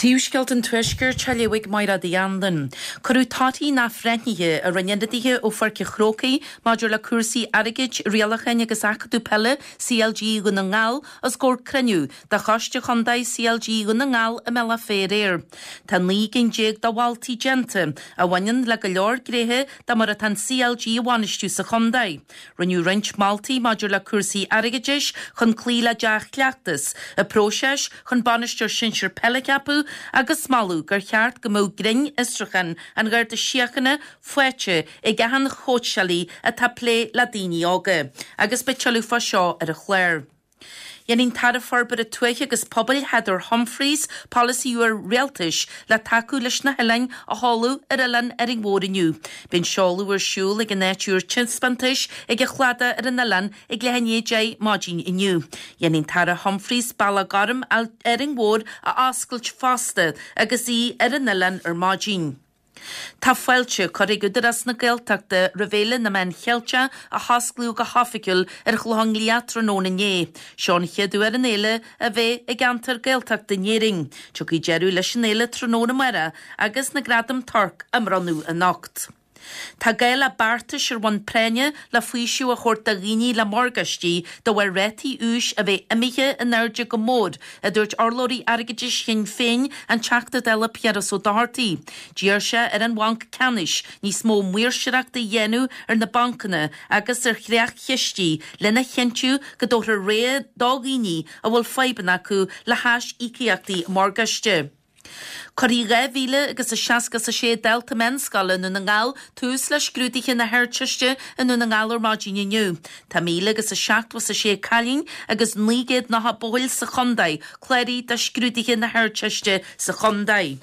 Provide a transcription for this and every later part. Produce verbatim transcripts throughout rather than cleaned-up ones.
Príomhscéalta an Tuaiscirt á léamh ag Máire Uí Anluain. Cuireadh torthaí na n-athbhreithnithe a rinne ionadaithe ó Pháirc an Chrócaigh maidir le cúrsaí airgid, rialacháin agus acadamh peile CLG Dhún na nGall os comhair cruinniú de Choiste Chontae CLG Dhún na nGall i mBealach Féich aréir. Tá naoi gcinn déag de mholtaí déanta a bhaineann le go leor gnéithe de mar atá an CLG á bhainistiú sa chontae. Rinneadh roinnt moltaí maidir le cúrsaí airgeadais chun cloí le dea-chleachtas, an próiseas chun bainisteoir sinsir peile a cheapadh agus moladh gur cheart go mbeadh grinnfhiosrúchán an Gharda Síochána faighte ag achan chóitseálaí atá ag plé le daoine óga, agus beidh tuilleadh fá seo ar an chlár. Déanfaidh an tAire Forbartha Tuaithe agus Pobail Heather Humphreys polasaí úr rialtais le tacú leis na hoileáin a sheoladh ar oileán Árainn Mhór inniu. Beidh an seoladh ar siúl ag an áit úr taispeántais ag an chladach ar an oileán ag leath i ndiaidh a deich maidin inniu. Déanfaidh an tAire Humphreys Bealach Gorm Árainn Mhór a oscailt fosta agus í ar an oileán ar maidin. Tá fáilte curtha ag Údarás na Gaeltachta roimh Fhéile na Meán Cheilteach a hosclaíodh go hoifigiúil ar Chlochán Liath tráthnóna inné. Seo an chéad uair an fhéile a bheith i gceantar Gaeltachta in Éirinn. Tiocfaidh deireadh leis an fhéile tráthnóna amárach agus na gradaim Torc á mbronnadh anocht. Tá gá le beartais ar bhonn práinne le faoiseamh a thabhairt do dhaoine le morgáistí de bharr rátaí úis a bheith imithe in airde go mór, a dúirt urlabhraí airgeadais Shinn Féin, an Teachta Dála Piaras Ó Dochartaigh. D'iarr sé ar an Bhanc Ceannais níos mó maoirseachta a dhéanamh ar na bancanna agus ar chreach-chistí lena chinntiú go dtabharfar rogha do dhaoine a bhfuil fadhbanna acu le haisíocaíochtaí morgáiste. Cuirfidh dhá mhíle agus a seasca is a sé dalta meánscoile i nDún na nGall tús le scrúduithe na hArdteiste i nDún na nGall ar maidin inniu. Tá míle agus a seachtó is a sé cailín agus naoi gcéad nócha buachaill sa chontae cláraithe do scrúduithe na hArdteiste sa chontae.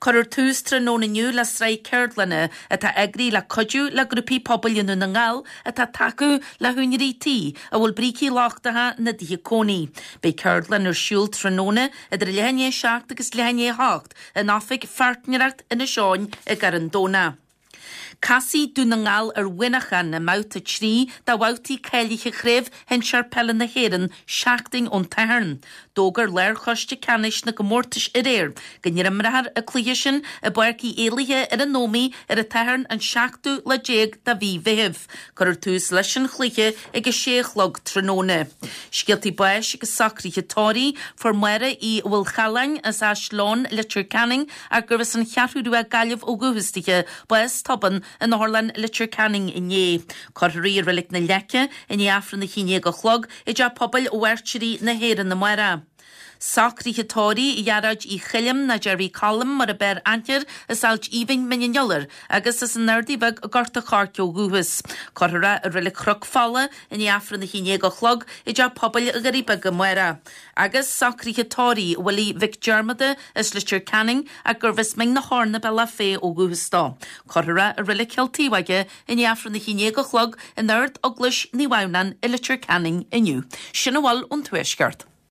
Cuirfear tús tráthnóna inniu le sraith ceardlanna atá eagraithe le cuidiú le grúpaí pobail i nDún na nGall atá ag tacú le húinéirí tí a bhfuil brící lochtacha ina dtithe cónaí. Beidh ceardlann ar siúl tráthnóna idir leath i ndiaidh a seacht agus leath i ndiaidh a hocht in oifig Pháirtnéireacht Inis Eoghain i gCarn Domhnach. Casfaidh Dún na nGall ar Mhuineachán i mbabhta trí de bhabhtaí cáilithe Chraobh Shinsir Peile na hÉireann seachtain ón tSatharn. D'fhógair Lárchoiste Ceannais na gcomórtas aréir go n-imreofar an cluiche sin i bPáirc Uí Éalaithe ar an Ómaigh ar an tSatharn an seachtú lá déag de mhí Mheithimh. Cuirfear tús leis an chluiche ag a sé a chlog tráthnóna. Scéaltaí báis agus socruithe tórraimh fuair Máire Uí Mhaolchalláin as Áisleann Leitir Ceanainn ach gurbh as an Cheathrú Rua Gaillimh ó dhúchas di, bás tobann in Otharlann Leitir Ceanainn inné. Cuirfear í i Reilig na Leice i ndiaidh Aifreann a haon déag a chlog i dTeach Pobail Mhairtírí na hÉireann amárach. Socruithe tórraimh Ghearóid Uí Choilm nó Jerry Colm mar ab fhearr aithne air as Ailt Aoibhinn Mín an Iolair agus as an Ardaidh Bheag i nGort a' Choirce ó dhúchas. Cuirfear é i Reilig Chnoc Fola i ndiaidh Aifreann a haon déag a chlog i dTeach Pobail Dhoirí Beaga amárach. Agus socruithe tórraimh Willie Mhic Diarmada as Leitir Ceanainn ach gurbh as Mín na hEorna Bealach Féich ó dhúchas dó. Cuirfear é i Reilig Chill Taobháige i ndiaidh Aifreann a haon déag a chlog in Ard Eaglais Naomh Adhamhnáin i Leitir Ceanainn inniu. Sin a bhfuil ón Tuaisceart.